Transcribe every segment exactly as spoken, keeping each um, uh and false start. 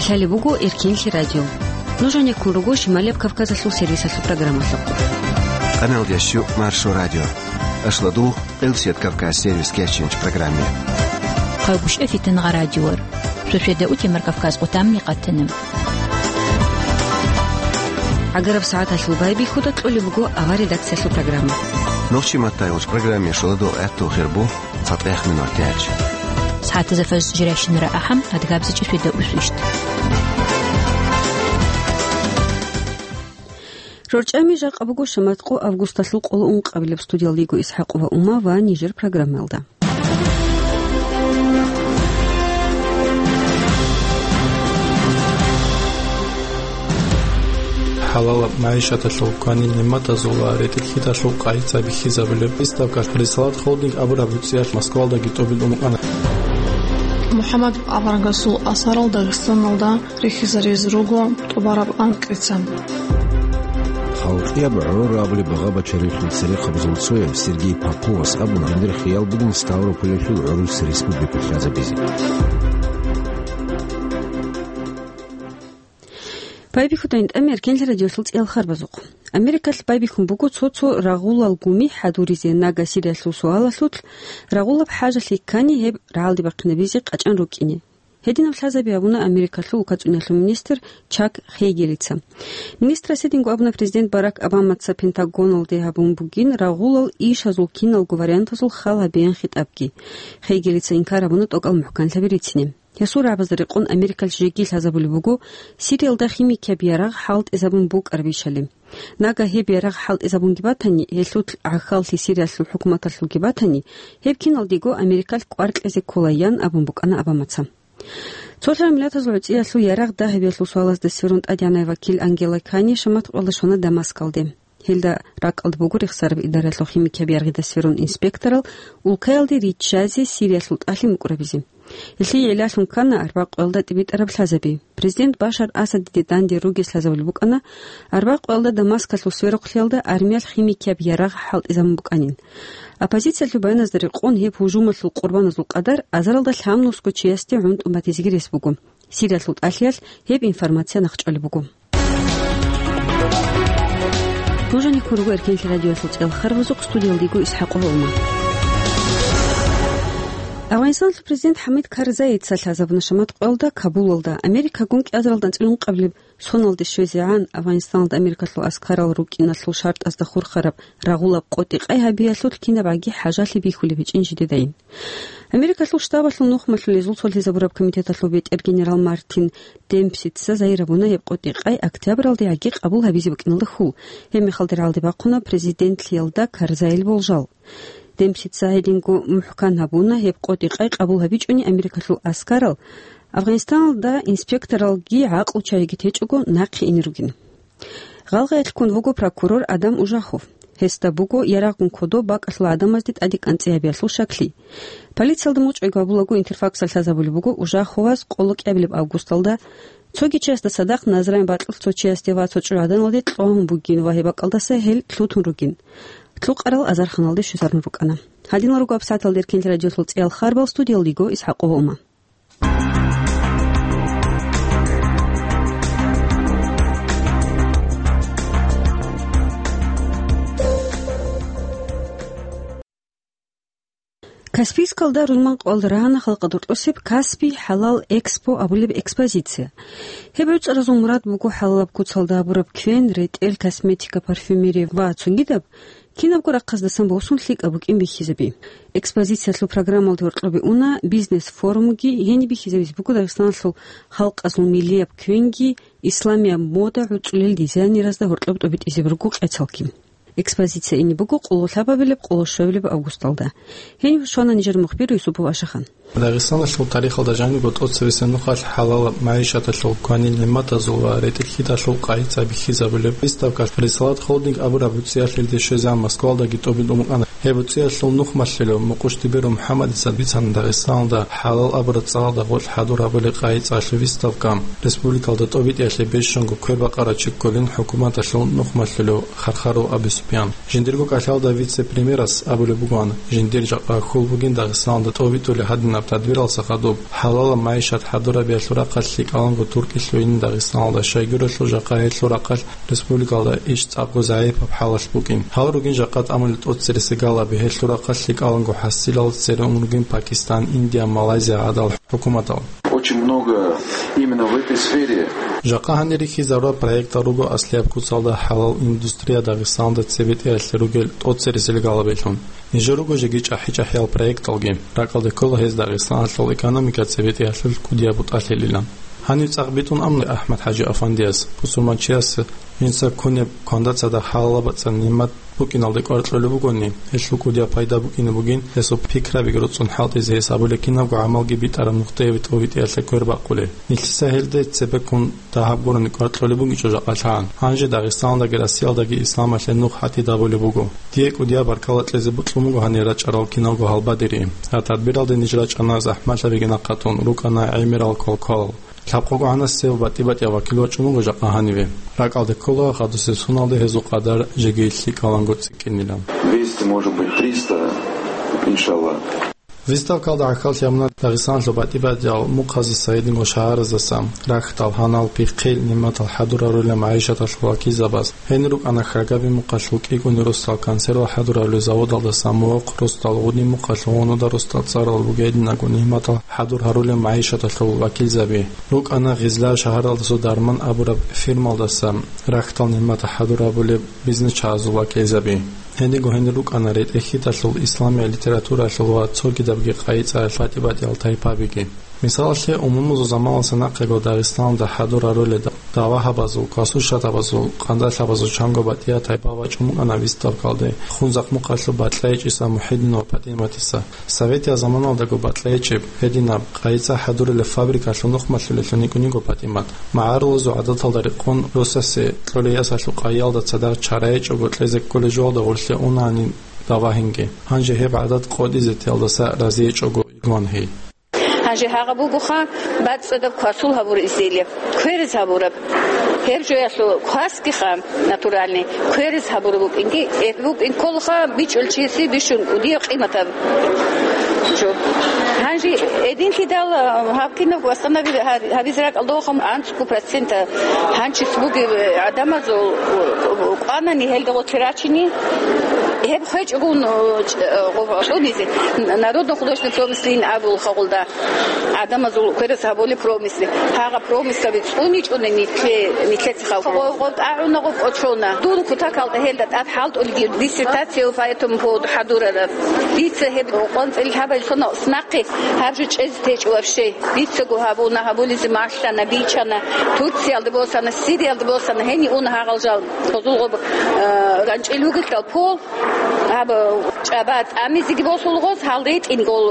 Лъалеб буго Эркенлъи радио. Нуж гьанеккун руго Шималияб Кавказалъул сервисалъул программалъухъ. Къаналдияс щу Маршо радио. Ашладу, Къилсият Кавказ сервис кеченч программе. Хъагушев Фитангъа радиор. Шошеда утемар Кавказ къутамни къатана. ГӀагараб сагӀаталъул байбихьуда кьолеб буго авар редакциялъул программа. Нохчи маттай уч программе шоладу гӀатту хирбу. ЦатӀехъ минутач. СагӀатазда фаз жирайщинара ахӀам, адгабзичӀи шведа усвищ. РорчӀами жакъа буго шаматкъо августалъул къоло ункъабилеб. Студиялдего ИсхӀакъова Ума ва нижер программаялда. ХӀалалаб магӀишаталъул кванил нигӀматазул ва ретӀел-хьидалъул къайи-цӀай бихьизабулеб выставка «Рисалат Холдинг» абураб гӀуцӀиялъ Москвалдаги тӀобитӀун букӀана. МухӀаммад аварагасул асарал Дагъистаналда рихьизаризе руго тӀубараб анкьица. Халкъияб гӀорабли багъа-бачарихъ церехъабазул цояв Сергей Поповас абуна, гьанир хиял бугин Ставрополялъул гӀурус республика лъазабизе. Байбихьудайин тӀами Эркенлъи радиолъул цӀиял харбазухъ. Америкалъ байбихьун буго цо-цо рагъулал гуми хӀадуризе, нага Сириялъул суалалъулъ рагъулаб хӀажалъи ккани гьеб рагӀалде бахъинабизе къачӀан рукӀине. Гьединаб лъазаби абуна Америкалъул укацӀуналъул министр Чак Хейгелица. Министрас гьединго абуна президент Барак Обамаца Пентагоналде гьабун бугин рагъулал ишазул киналго вариантазул хал гьабеян хитӀабги. Хейгелица инкар гьабуна тӀокӀал мухӀканлъаби рицине. Гьесул рагӀабазда рекъон Америкалъ жеги лъазабулеб буго Сириялда химикияб ярагъ хӀалтӀизабун букӀарабищали. Нага гьеб ярагъ хӀалтӀизабунги батани, гьелъул гӀахьаллъи Сириялъул хӀукуматалъулги батани, гьеб киналдего Америкалъ кӀвар кьезе кколаян абун букӀана Обамаца. Цолъарал Миллатазул гӀуцӀиялъул ярагъ дагьабиялъул суалазда сверун тӀадегӀанай вакил Ангела Кани шаматкъоялда щвана Дамаскалде. Гьелда ракӀалда буго рехсараб идаралъул химикияб ярагъида сверун инспекторал улкаялде риччазе Сириялъул тӀалъи мукӀрабизе. Гьелъие гӀиллалъун ккана арбякъуялда тӀибитӀараб лъазаби. Президент Башар Асадиде данде ругес лъазабулеб букӀана арбякъуялда Дамаскалъул сверухълъиялда армиялъ химикияб ярагъ хӀалтӀизабун букӀанин. Оппозициялъул баяназда рекъон гьеб гьужумалъул къурбаназул къадар азаралда лъабнусго чиясде гӀунтӀун батизеги рес буго. Сириялъул тӀалъиялъ гьеб информация нахъчӀвалеб буго. Нуж гьанеккун руго Эркенлъи радиоялъул цӀиял харбазухъ, студиялдего ИсхӀакъова Ума. Афганистаналъул президент ХӀамид Карзаица лъазабуна шаматкъоялда Кабулалда, Америкагун кӀиазаралда анцӀила ункъабилеб соналде щвезегӀан Афганистаналда Америкалъул аскарал рукӀиналъул шартӀазда хурхараб рагъулаб къотӀи-къай гьабиялъулъ кинабгӀаги хӀажалъи бихьулеб гьечӀин жидедайин. Америкалъул штабалъул нухмалъулезул цолъизабураб комитеталъул бетӀер генерал Мартин Демпсица загьир гьабуна гьеб къотӀи-къай октябралдегӀаги къабул гьабизе букӀиналда хьул. Гьеб мехалда рагӀалде бахъуна президентлъиялда Карзайил болжал. Демпсица гьединго мухӀкан гьабуна гьеб къотӀи-къай къабул гьабичӀони Америкалъул аскарал Афганистаналда инспекторалги гӀакълу чагӀиги течӀого нахъе ине ругин. Гъалгъаялъ ккун вуго прокурор Адам Ужахов. Гьесда буго ярагъгун кодоб бакӀалъул гӀадамазде тӀаде кӀанцӀи гьабиялъул щаклъи. Полициялда мучӀайги гьабулаго Интерфаксалъ лъазабулеб буго Ужаховас къоло кӀиабилеб августалда цоги чиясда цадахъ Назран бакьулъ цо чиясде ва цо чӀужугӀаданалде кьвагьун бугин ва гьеб бакӀалдаса гьел лъутун ругин. Лъукъарал азарханалде щвезарун рукӀана. Гьадинал руго абсаталда Эркенлъи радиолъул цӀиял харбал, студиялдего ИсхӀакъова Ума. Каспийскалда рузманкъоялда рагьана халкъалда рокьосеб «Каспий хӀалал Экспо» абулеб экспозиция. Гьеб гӀуцӀаразул мурад буго хӀалалаб куцалда гьабураб квен, ретӀел, косметика, парфюмерия ва цогидаб кинабго рахъаздасан босун лъикӀаб букӀин бихьизаби. Экспозициялъул программалда гьоркьобе уна бизнес-форумги, гьениб бихьизабизе буго Дагъистаналъул халкъазул миллияб квенги, исламияб мода, гӀуцӀулел дизайнерзда гьоркьоб тӀобитӀизаб руго къецалги. Экспозиция ине буго къоло лъабабилеб, къоло щуабилеб августалда. Гьенив щвана нижер мухбир Юсупов Ашахан. Дагъистаналъул тарихалда жанибго тӀоцебесеб нухалъ хӀалалаб магӀишаталъул кванил нигӀматазул ва ретӀел-хьидалъул къайи-цӀай бихьизабулеб выставка «Рисалат Холдинг» абураб гӀуцӀиялъ илде щвезегӀан Москвалдаги тӀобитӀун букӀана. Гьеб гӀуцӀиялъул нухмалъулев Мукъуш Дибиру МухӀаммадица бицана Дагъистаналда хӀалал абураб цӀалалда гъоркь хӀадур гьабулеб къайи-цӀалъул выставка. Республикалда тӀобитӀиялъе бищунго квер бакъарав чи кколин хӀукуматалъул нухмалъулев Хархаров Абис. Пян. Жиндирго кӀалъалда вице-премьерас абулеб бугоан, жиндир жакъа хьул бугин Дагъистаналда тӀобитӀулеб гьадинаб тадбиралса хадуб, хӀалалаб магӀишат хӀадурабиялъул рахъалъ лъикӀаланго туркӀилъуйин Дагъистаналда, щайгурелъул жакъа гьелъул рахъалъ республикалда иш цӀакъго загӀипаб хӀалалъ букӀин. Гьал ругин жакъа тӀамулел тӀоцереси галаби, гьелъул рахъалъ лъикӀаланго хӀасилал цере ун ругин Пакистан, Индия, Малайзия гӀадал хӀукуматал. Очень много именно в этой сфере. Жакъа гьанир рихьизарураб проектал руго аслияб куцалда хӀалал индустрия Дагъистаналда цебетӀеялъе ругел тӀоцересел галабилъун. Нижер руго жеги чӀахӀи-чӀахӀиял проекталги, ракӀалде ккола гьез Дагъистаналъул экономика цебетӀеялъул кӀудияб бутӀалъилилан. Гьанив цӀакъ битӀун абуна АхӀмад-ХӀажи-афандияс, бусурманчияс жинца кунеб кванда цадахъ хӀалалаб бацӀцӀад нигӀмат букӀиналде кӀвар кьолеб бугони, гьелъул кӀудияб пайда букӀине бугин, гьесул пикрабиги руцӀцӀун хӀалтӀизе гьес абулеб кинабго гӀамалги битӀараб нухде тӀобитӀеялъе квербакъулеб. Нилъеца гьелде цебеккун дагьаб гурони кӀвар кьолеб бугичӀо жакъа лъан. Гьанже Дагъистаналдаги Россиялдаги исламалъе нух гьатӀидабулеб буго. Дие кӀудияб баркала кьезе бокьун буго гьанир рачӀарал киналго гьалбадери. Гьаб тадбиралде ниж рачӀана захӀмалъабиги нахъатун, рукӀана гӀемерал квалквалал. Лъабкъого гӀанасев батӀи-батӀияв вакил вачӀун вуго жакъа гьаниве. РакӀалде ккола, хадусеб соналда гьезул къадар жеги лъикӀаланго цӀикӀкӀинилан. Двести, может быть, триста, иншаллах. Выставкалда гӀахьаллъи гьабуна Дагъистаналъул батӀи-батӀиял мухъазаса, гьединго шагьараздаса рахьдал, гьанал, пихъил, нигӀматал хӀадурарулел магӀишаталъул вакилзабаз. Гьенир рукӀана хьагаби мухъалъул кӀикӀуни росдал консерва хӀадурарулел заводалдаса мухъ, росдал гъуди мухъалъул гъунуда росдал цӀарал бугединаго нигӀматал хӀадур гьарулел магӀишаталъул вакилзаби. РукӀана Гъизла шагьаралдасул Дарман абураб фирмалдаса рахьдал нигӀмат хӀадур гьабулел бизнесчагӀазул вакилзаби. Гьединго гьенир рукӀана ретӀел-хьиталъул, исламияб литературалъул ва цогидабги къайи-цӀаял батӀи-батӀиял тайпабиги. Мисалалъе, умумузул заманалдаса нахъего Дагъистаналда хӀадур гьарулел давагьабазул, квасуршатабазул, къандалъабазул чанго батӀияб тайпа вачӀун букӀана выставкалде Хунзахъ мухъалъул БатӀлайичӀиса МухӀиддин ва ПатӀиматиса. Советияб заманалдаго БатӀлайичӀеб гьединаб къайи-цӀа хӀадурулеб фабрикалъул нухмалъулелъун йикӀун йиго ПатӀимат. МагӀарулазул гӀадаталда рекъон росасе кьолей ясалъул къайиялда цадахъ чарайичӀого кьезе кколей жоялда гъорлъе унани давагьинги. Гьанже гьеб гӀадат къотӀизе теялдаса разийичӀого йигван гьей. Гьанже гьагъаб бугоха бацӀцӀадаб квасул гьабураб изделие, кверез гьабураб. Гьеб жоялъул квасгиха натуральный, кверез гьабураб букӀинги, э, букӀин кколха бичӀчӀулев чиясе бищун кӀудияб къиматаб жо. Гьанже гьединлъидал, а, гьаб кинабго восстанови-, гьаб-, гьабизе ракӀалдехун анцӀго процент гьанчис бугеб гӀадамазул, у, у, кӀванани гьелда гъорлъе рачине, гьеб хвечӀогун, у, ч-, у, гъо-, гъо-, цӀунизе, н-, народно-художественный промыслин абулха гъолда. ГӀадамазул кверез гьабулеб промысли. Гьагъа промыслаби цӀуничӀони нилъе-, нилъеца халкъ. Гъо-, гъо-, тӀагӀуна гъо-, кӀочона. Дун кутакалда гьелда тӀад хӀалтӀулги диссертация по этому поводу хӀадурараб. Дица гьеб къванцӀил гьабал сона снахъе гьаб жо чӀезе течӀо вообще. Дицаго гьабуна, гьабулизе малъана, бичана. Турциялда босана, Сириялда босана, гьени уна гьагъал жал. Гъозул гъоб, э, ганчӀил вугелъал пол. Гьаб чӀаба тӀамизеги босулгъоз, гьал ретӀин гол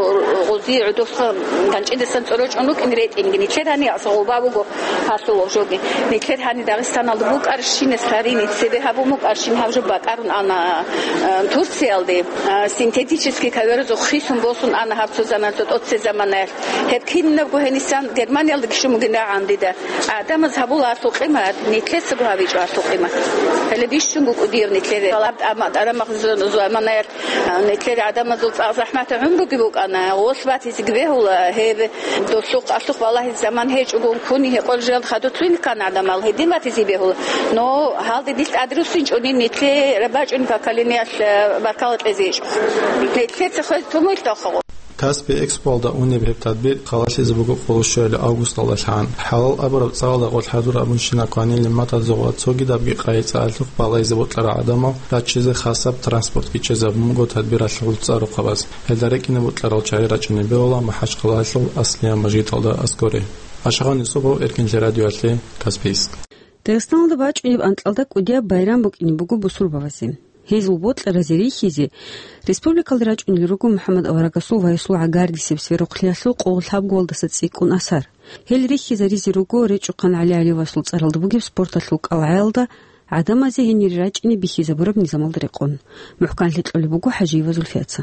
гъози гӀудухъ ганчӀидасан цӀорочӀун рукӀин ретӀинги. Нилъер гьани асгъуба буго гьасул жоги. Нилъер гьани Дагъистаналда букӀарщинас гьарини цебе гьабун букӀарщин гьаб жо бакӀарун ана, а, Турциялде, а, синтетический ковёрзухъ хисун босун ана гьаб цо заман, цо тӀоце заманаялъ. Гьеб кинабго гьенисан Германиялда кишун бугин рагӀан дида. ГӀадамаз гьабула гьалъул къимат, нилъецаго гьабичӀо гьалъул къимат. Гьеле бищунго кӀудияв нилъере. Гьалаб тӀама-, тӀарамах зу-, зу-, заманаялъ, а, нилъер гӀадамазул цӀакъ захӀмат гӀумруги букӀана, гъолъ батизеги бегьула, гьеб долъухъ-алъухъ балагьизе заман гьечӀогун ккуни гьекъолел жал хадур лъугьине ккана гӀадамал, гьедин батизе бегьула. Но гьалде нилъ тӀадруссинчӀони, нилъе рабачӀунеб поколениялъ, а, баркала кьезе гьечӀо. Нилъеца хвез тумуйлъ дохъо. Каспи Экспоялда унеб гьеб тадбир халалъизе буго къоло щуялъул августалдалъан. ХӀалал абураб цӀаралда гъорлъ хӀадур абунщинаб кванил нигӀматазул ва цогидабги къайи-цӀа алъухъ балагьизе бокьарал гӀадамал раччизе хасаб транспортги чӀезабун буго тадбиралъул цӀа-рухъабаз. Гьелда рекӀине бокьарал чагӀи рачӀине бегьула МахӀачхъалаялъул Аслияб мажгиталда аскӀоре. Ашагъан Юсупов, Эркинлъи радиоялъе, Каспийск. Дагъистаналда бачӀунеб анкьалда кӀудияб байрам букӀине буго бусурбабазе. Гьезул бокьаразе рихьизе республикалда рачӀунел руго МухӀаммад аварагасул вайсул гӀагардисеб сверухълъиялъул къо лъабгоялдаса цӀикӀкӀун асар. Гьел рихьизаризе руго РечӀухъан ГӀали Алиевасул цӀаралда бугеб спорталъул кӀалгӀаялда гӀадамазе гьенире рачӀине бихьизабураб низамалда рекъон. МухӀканлъи кьолеб буго ХӀажиева Зульфияца.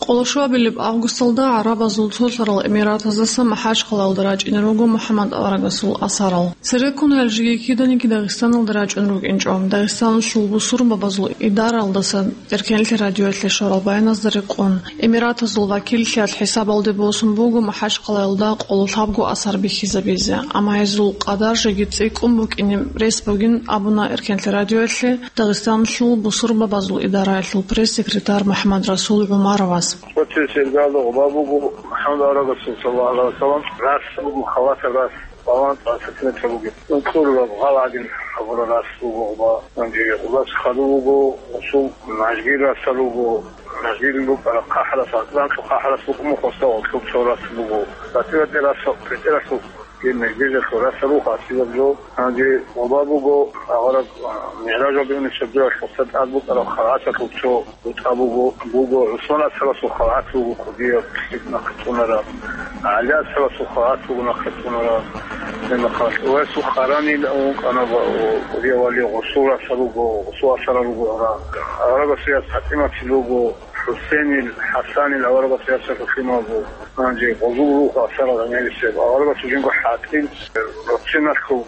Къолошуабилеб августалда гӀарабазул цолъарал эмиратаздаса МахӀачхъалаялда рачӀине руго МухӀаммад аварагасул асарал. Цереккун гьел жеги киданиги Дагъистаналда рачӀун рукӀинчӀо. Дагъистаналъул бусурбабазул идараялдаса Эркенлъи радиоялъе щварал баяназда рекъон, эмиратазул вакиллъиялъ хӀисабалде босун буго МахӀачхъалаялда къоло лъабго асар бихьизабизе, амма гьезул къадар жеги цӀикӀкӀун букӀине рес бугин абуна Эркенлъи радиоялъе Дагъистаналъул бусурбабазул идараялъул пресс-секретарь МухӀаммадрасул ГӀумаровас. Цо-цо сергалда гъоба буго МухӀаммад аварагасул, саллаллагьу гӀалайгьи вассалам, рас буго, халатаб рас, балагьун цӀакъ сантиметр бугеб. Ункъураб гъал гӀадин гьабураб рас буго гъоба. Гьанже гъобас хадув вуго, гъосул нажгил расал руго, нажгил букӀараб хъахӀрас, атланкьу хъахӀрас букӀун, хосда гъоркьоб цо рас буго. БатӀи-батӀи рас, бетӀералъул, гьеб мегьдежалъул расал руго асилаб жо. Гьанже гъоба буго, агъараб, а, МигӀражалде унеб чорхолъ гъосда тӀад букӀараб халгӀаталъул цо бутӀа буго, буго ГӀусман асхӀабасул халгӀат буго кӀудияб нахъе цӀунараб, ГӀали асхӀабасул халгӀат буго нахъе цӀунараб. Гьеб мехалъ гьесул къаранил ункъана ва, ва кӀудияв вали гъосул расал руго, гъосул асарал руго ара. Аварагасул яс ПатӀиматил руго, ХӀусенил, ХӀасанил аварагасул ясалъул лъимал буго. Гьанже гъозул руго асарал гӀемерисеб. Аварагасул жинго хӀатӀил, рохчиналъул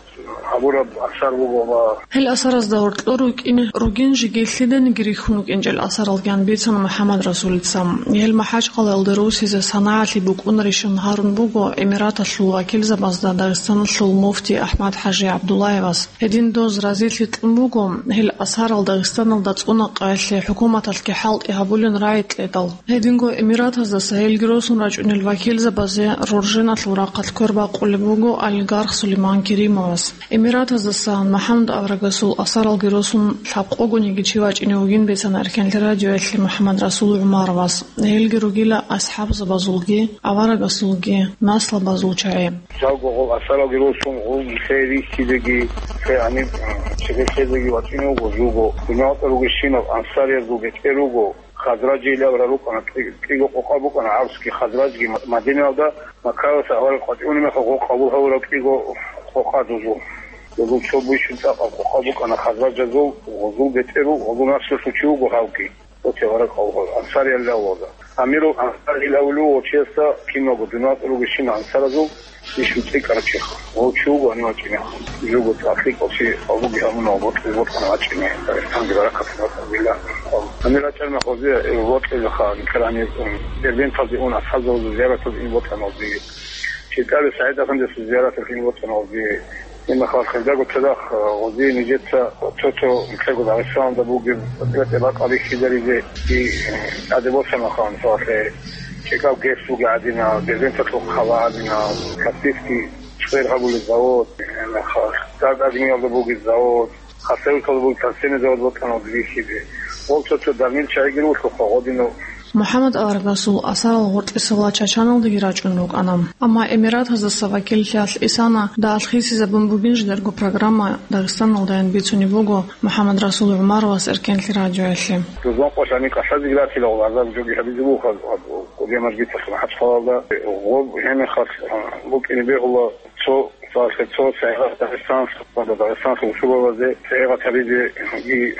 гьабураб асар буго ва Гьел асаразда гьоркьор рукӀине ругин жеги лъиданиги рихьун вукӀинчӀел асаралги ан бицана МухӀаммадрасулица. Гьел МахӀачхъалаялде русизе санагӀалъи букӀунарищан гьарун буго Эмираталъул вакилзабазда Дагъистаналъул муфти АхӀмад-хӀажи ГӀабдуллаевас. Гьедин доз разилъи кьун буго, гьел асарал Дагъистаналда цӀуна къаялъе хӀукуматалъги хӀалтӀи гьабулин рагӀи кьедал. Гьединго Эмиратаздаса гьелги росун рачӀунел вакилзабазе рорженалъул рахъалъ квер бакъулеб буго олигарх Сулейман Керимовас. Эмиратаздасан МухӀаммад аварагасул асаралги росун лъабкъогониги чи вачӀине вугин бицана Эркенлъи радиоялъе МухӀаммадрасул ГӀумаровас. Гьелги ругила асхӀабзабазулги, аварагасулги, наслабазул чагӀи. Жалго гъол асаралги росун, гъол нилъее рихьизеги, нилъее гьаниб, м, чебехъезеги вачӀине вуго жуго. Дунялда ругелщинал ансариязул бетӀер руго. Хазраджи илавра рукӀана, кӀи-, кӀиго къокъа букӀана гӀарсги, Хазраджги Ма-, Мадинаялда Маккаялдаса авараг къватӀивуни мехалъ гъо къабул гьавурав кӀиго къокъа дузул. Дузул цо бищун цӀакъаб къокъа букӀана Хазраджазул, гъозул бетӀеру, гъозул наслулъул чи вуго гьавги. Гъоте авараг къабул гьавурав. Ансариялда авараг. Амирул Ансар илавулев вачиясда киналго дунялда ругелщинал ансаразул Иш витӀикӀараб чиха. Гъов чи вуго гьанив вачӀине. Жуго цӀакъ лъикӀав чи гьабуги гьабуна ва бокьи бокьана вачӀине. Дагъистанги баракат бакӀабила. Гьанир рачӀарна гъозе, э, бокьилаха, гьанир, м, Дербенталде ун, асхӀабзабазул зияраталде ин бокьана гъозе. ЧӀикӀаби СагӀид Афандиясул зияраталде ин бокьана гъозе. Имахал хирдаго цадахъ, э, гъозе нижеца цо-цо нилъего Дагъистаналда бугеб бакӀаби хьидаризе и, э, тӀаде босана хан, мисалалъе. ЧӀикӀаб ГЭС буго гӀадинаб, Дербенталъул хъала гӀадинаб, Каспийский чкъер гьабулеб завод, гьеб мехалъ Дард-Агниялда буго завод, Хасавюрталда буго торфяный завод букӀана гъозе бихьизе. Гъол цо-цо дарнил чагӀиги рулъухъа гъодинав. МухӀаммад аварагасул асарал гъоркьисела Чачаналдаги рачӀун рукӀана. Амма Эмиратаздаса вакиллъиялъ исана дагьалъ хисизабун бугин жидерго программа Дагъистаналдаян бицунеб буго МухӀаммадрасул ГӀумаровас Эркенлъи радиоялъе. Рузман къо лъани кӀалъазеги ратила, гъол азар жоги гьабизе буго. Кодиямаж бицахъе МахӀачхъалаялда. Гъоб гьеб мехалъ, а, букӀине бегьула цо, цо, цо сайгъат Дагъистаналъ, Дагъистаналъул бусурбабазе сайгъат гьабизе и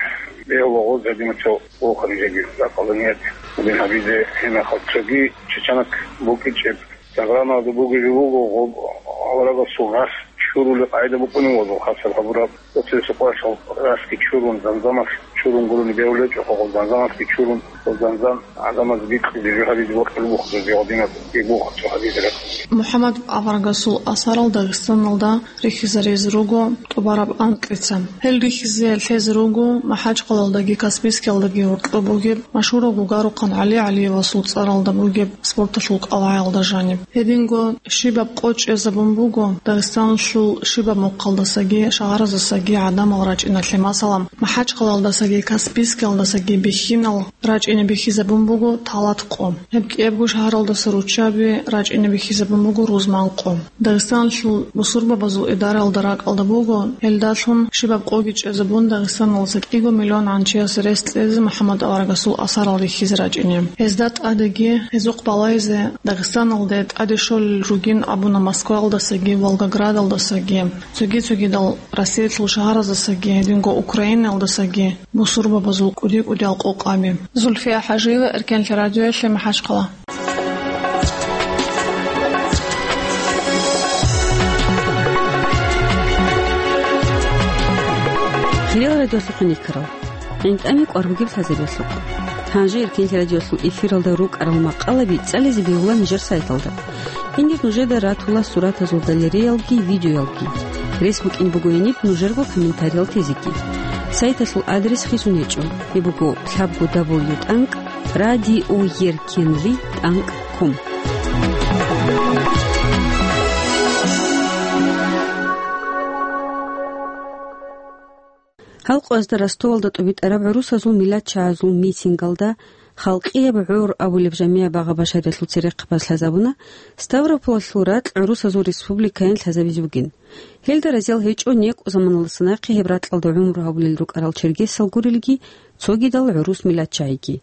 бегьула гъоз гьадинав цо воханижеги ракъалда ният бугин гьабизе гьеб мехалъ цоги чачанак букӀичӀеб программаялда бугеб жо буго, гъоб аварагасул рас чурули къайда букӀунев вазул хасаб гьабураб. Оцересул къваралъ расги чурун, занзамалъ чурун гурони бегьулел чӀухъа, гъол занзамалъги чурун, гъол занзам гӀадамаз бикьизе жо гьабизе бокьулеб бухъ, жо гьадинаб бухъ гьабизе рехъ. МухӀаммад аварагасул асарал Дагъистаналда рихьизаризе руго тӀубараб анкьица. Гьел рихьизе лъезе руго МахӀачхъалаялдаги Каспийскиялдаги гьоркьоб бугеб машгьурав гугарухъан ГӀали ГӀалиевасул цӀаралда бугеб спорталъул кӀалгӀаялда жаниб. Гьединго щибаб къо чӀезабун буго Дагъистаналъул щибаб мухъалдасаги шагьараздасаги гӀадамал рачӀиналъе, масала, МахӀачхъалаялдасаги Каспийскиялдасаги бихьинал рачӀине бихьизабун буго талат къо. Гьеб кӀиябго шагьаралдаса руччаби рачӀине бихьизабун буго рузман къо. Дагъистаналъул бусурбабазул идараялда ракӀалда буго, гьелдалъун щибаб къоги чӀезабун Дагъистаналдаса кӀиго миллион гӀанчияс рес кьезе МухӀаммад аварагасул асарал рихьизе рачӀине. Гьезда тӀадеги, гьезухъ балайзе Дагъистаналде тӀаде щолел ругин абуна Москваялдасаги, Волгоградалдасаги, цоги-цогидал Россиялъул шагьараздасаги, гьединго Украинаялдасаги бусурбабазул кӀуди-кӀудиял къокъаби. Зульфия ХӀажиева, Эркенлъи радиоялъе, МахӀачхъала. Хириял радиолъухъ никарал. ГӀинтӀами кӀвар бугеб лъазабиялъухъ. Гьанже Эркенлъи радиолъул эфиралда рукӀарал макъалаби цӀализе бегьула нижер сайталда. Гьенир нужеда ратула суратазул галереялги, видеоялги. Рес букӀин буго гьениб нужерго комментариял тезеги. Сайталъул адрес хисун гьечӀо. Гьеб буго лъабго дабл ю тӀанкӀ радиоеркенлъи тӀанкӀ ком. Гьал къоязда Ростовалда тӀубитӀараб гӀурусазул миллатчагӀазул митингалда «Халкъияб гӀор» абулеб жамигӀ багъа-башариялъул церехъабаз лъазабуна, Ставрополалъул ракь гӀурусазул республикаян лъазабизе бугин. Гьелда разиял гьечӀо некӀу заманалдаса нахъе гьеб ракьалда гӀумру гьабулел рукӀарал чергесал гурелги, цогидал гӀурус миллатчагӀиги.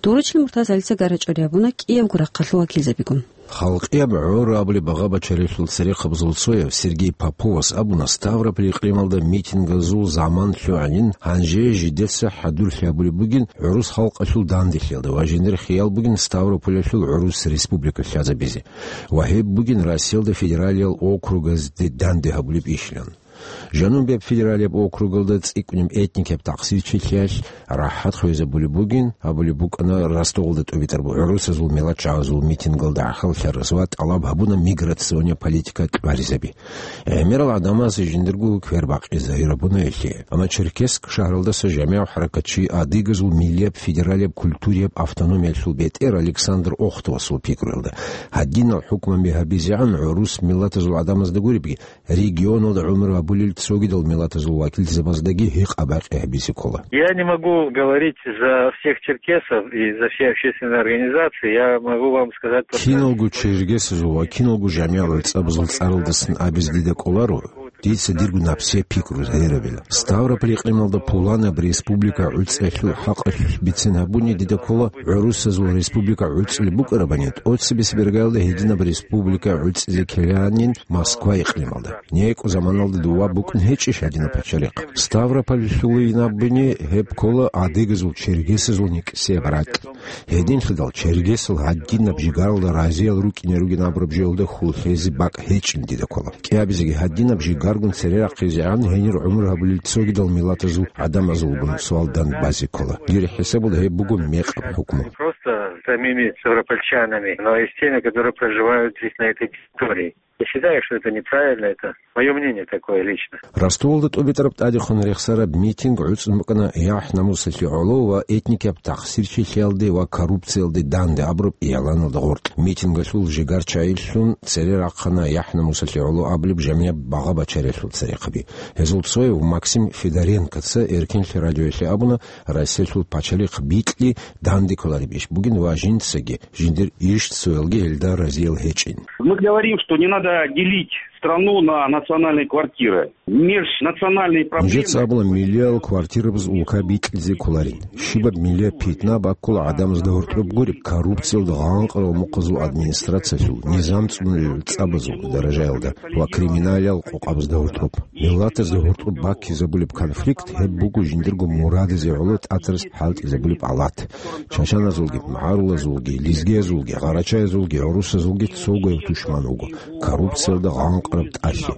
Дурачил Муртазалица гарачӀори гьабуна кӀиябго рахъалъул вакилзабигун. «Халкъияб гӀор» абулеб багъа-башариялъул церехъабазул цояв Сергей Поповас абуна, Ставрополь икълималда митингазул заман лъугӀанин, гьанже жидеца хӀадурлъи гьабулеб бугин гӀурус халкъалъул данделъиялда ва жиндир хиял бугин Ставрополалъул гӀурус республика лъазабизе ва гьеб бугин Россиялда федералиял округазде данде гьабулеб ишилан. Жанубияб федералияб округалда цӀикӀкӀунеб этникияб тахсирчилъиялъ рахӀат хвезабулеб бугин, абулеб букӀана Ростовалда тӀубитӀараб гӀурусазул миллатчагӀазул митингалда гӀахьаллъараз ва тӀалаб гьабуна миграционный политика кьваризаби. ГӀемерал гӀадамаз жиндирго квер бакъизе гьарабуна гьелъие. Амма Черкесск шагьаралдаса жамигӀ хӀаракатчи, адыгазул миллияб федералияб культурияб автономиялъул бетӀер Александр Охтовасул пикруялда, гьадинал хӀукмаби гьабизегӀан гӀурус миллатазул гӀадамазда гуребги, регионалда гӀумру гьабулел цогидал миллатазул вакилзабаздаги гьикъа-бакъи гьабизе ккола. Я не могу говорить за всех черкесов и за все общественные организации. Я могу вам сказать только... Киналго чергесазул ва киналго жамигӀал гӀицӀабазул цӀаралдасан абизе дида кӀоларо, дица дирго напсияб пикру гьарабила. Ставрополь икълималда пуланаб республика гӀуцӀиялъул хӀакъалъулъ бицин гьабуни дида ккола, гӀурусазул республика гӀуцӀулеб букӀарабани, тӀоцебесеб иргаялда гьединаб республика гӀуцӀизе ккеланин Москва икълималда. НекӀу заманалда дова букӀун гьечӀищ гьадинаб пачалихъ? Ставропольлъулин абуни гьеб ккола адыгазул, чергесазул никӀсияб ракь. Гьединлъидал чергесал гьадинаб жигаралда разиял рукӀине ругин абураб жоялда хьул лъезе бакӀ гьечӀин дида ккола. КӀиабизеги гьадинаб жигаргун цере рахъизегӀан гьенир гӀумру гьабулел цогидал миллатазул гӀадамазулгун суал дан базе ккола. Дир хӀисабалда гьеб буго мекъаб хӀукму. Просто самими ставропольчанами, но и с теми, которые проживают здесь, на этой территории. Я считаю, что это неправильно, это моё мнение такое лично. Ростовалда тӀубитӀараб тӀадехун рехсараб митинг гӀуцӀун букӀана яхӀ-намусалъе гӀоло ва этникияб тахсирчилъиялде ва коррупциялде данде абураб игӀланалда гъоркь. Митингалъул жигарчагӀилъун цере рахъана яхӀ-намусалъе гӀоло абулеб жамигӀ багъа-бачариялъул церехъаби. Гьезул цояв Максим Федоренкоца Эркенлъи радиоялъе абуна, Россиялъул пачалихъ бикьи данде кколареб иш бугин ва жинцаги жиндир иш цоялги гьелда разиял гьечӀин. Мы говорим, что не надо делить страну на национальные квартиры. Межнациональные проблемы... Нужеца абула, миллиял квартирабаз улка бикьизе кколарин. Щибаб миллияб питна баккула гӀадамазда гьоркьоб гуреб, коррупциялда гъанкъарал мухъазул администрациялъул, низам цӀунулел цӀабазул даражаялда ва криминалиял къокъабазда гьоркьоб. Миллатазда гьоркьоб баккизабулеб конфликт гьеб буго жиндирго мурадазе гӀоло тӀатарас хӀалтӀизабулеб алат. Чачаназулги, магӀарулазулги, лезгиязулги, гъарачаязулги, гӀурусазулги цогояб тушман вуго, коррупциялда гъанкъараб тӀалъи.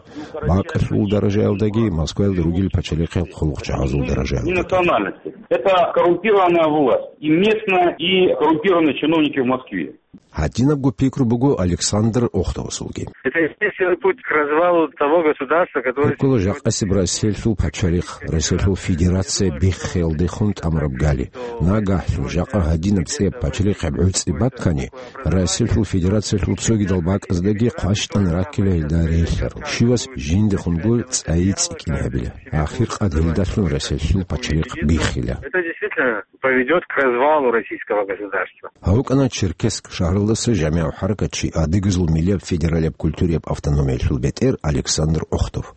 Бакъалъул даражаялдаги Москваялда ругел пачалихъал хъулухъчагӀазул даражаялда. Не национальности. Это коррумпированная власть. И местная, и коррумпированные чиновники в Москве. Гьадинабго пикру буго Александр Охтовасулги. Это естественный путь к развалу того государства, которое... Гьеб ккола жакъасеб Россиялъул пачалихъ, Россиялъул Федерация биххиялдехун тӀамураб гали. Нагагьлъун жакъа гьадинаб цӀияб пачалихъ гӀуцӀи баккани, Россиялъул Федерациялъул цогидал бакӀаздаги хъващтӀан раккила гьелда релълъарал. Щивас жиндехунго цӀайи цӀикӀкӀин гьабила. Ахиркъад гьелдалъун Россиялъул пачалихъ биххила. Это действительно поведёт к развалу российского государства. Гьав вукӀана Черкесск шагьаралдаса жамигӀ хӀаракатчи, адыгазул миллияб федералияб культурияб автономиялъул бетӀер Александр Охтов.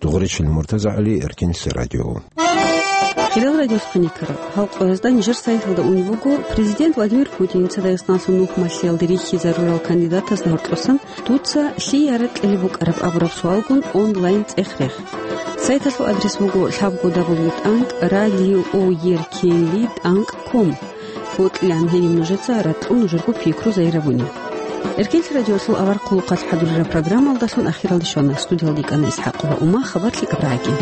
Дугъричил МуртазагӀали, Эркенлъи радио. Хириял радиохъиникарал, гьал къоязда нижер сайталда унеб буго, Президент Владимир Путиница Дагъистаналъул нухмалъиялде рихьизарурал кандидатазда гьоркьосан «Дуца лъияраб кьелеб букӀараб?» абураб суалгун онлайн цӀех-рех. Сайталъул адрес буго лъабго дабл ю тӀанкӀ радио о ер кей ви тӀанкӀ ком. Бокьилан гьениб нужеца ракьун нужерго пикру зайрабуни. Эркенлъи радиолъул авар хъулухъалъ хӀадурараб программалдалъун ахиралде щвана. Студиялде кӀана ИсхӀакъова Ума, хабар лъикӀаб рагӀаги.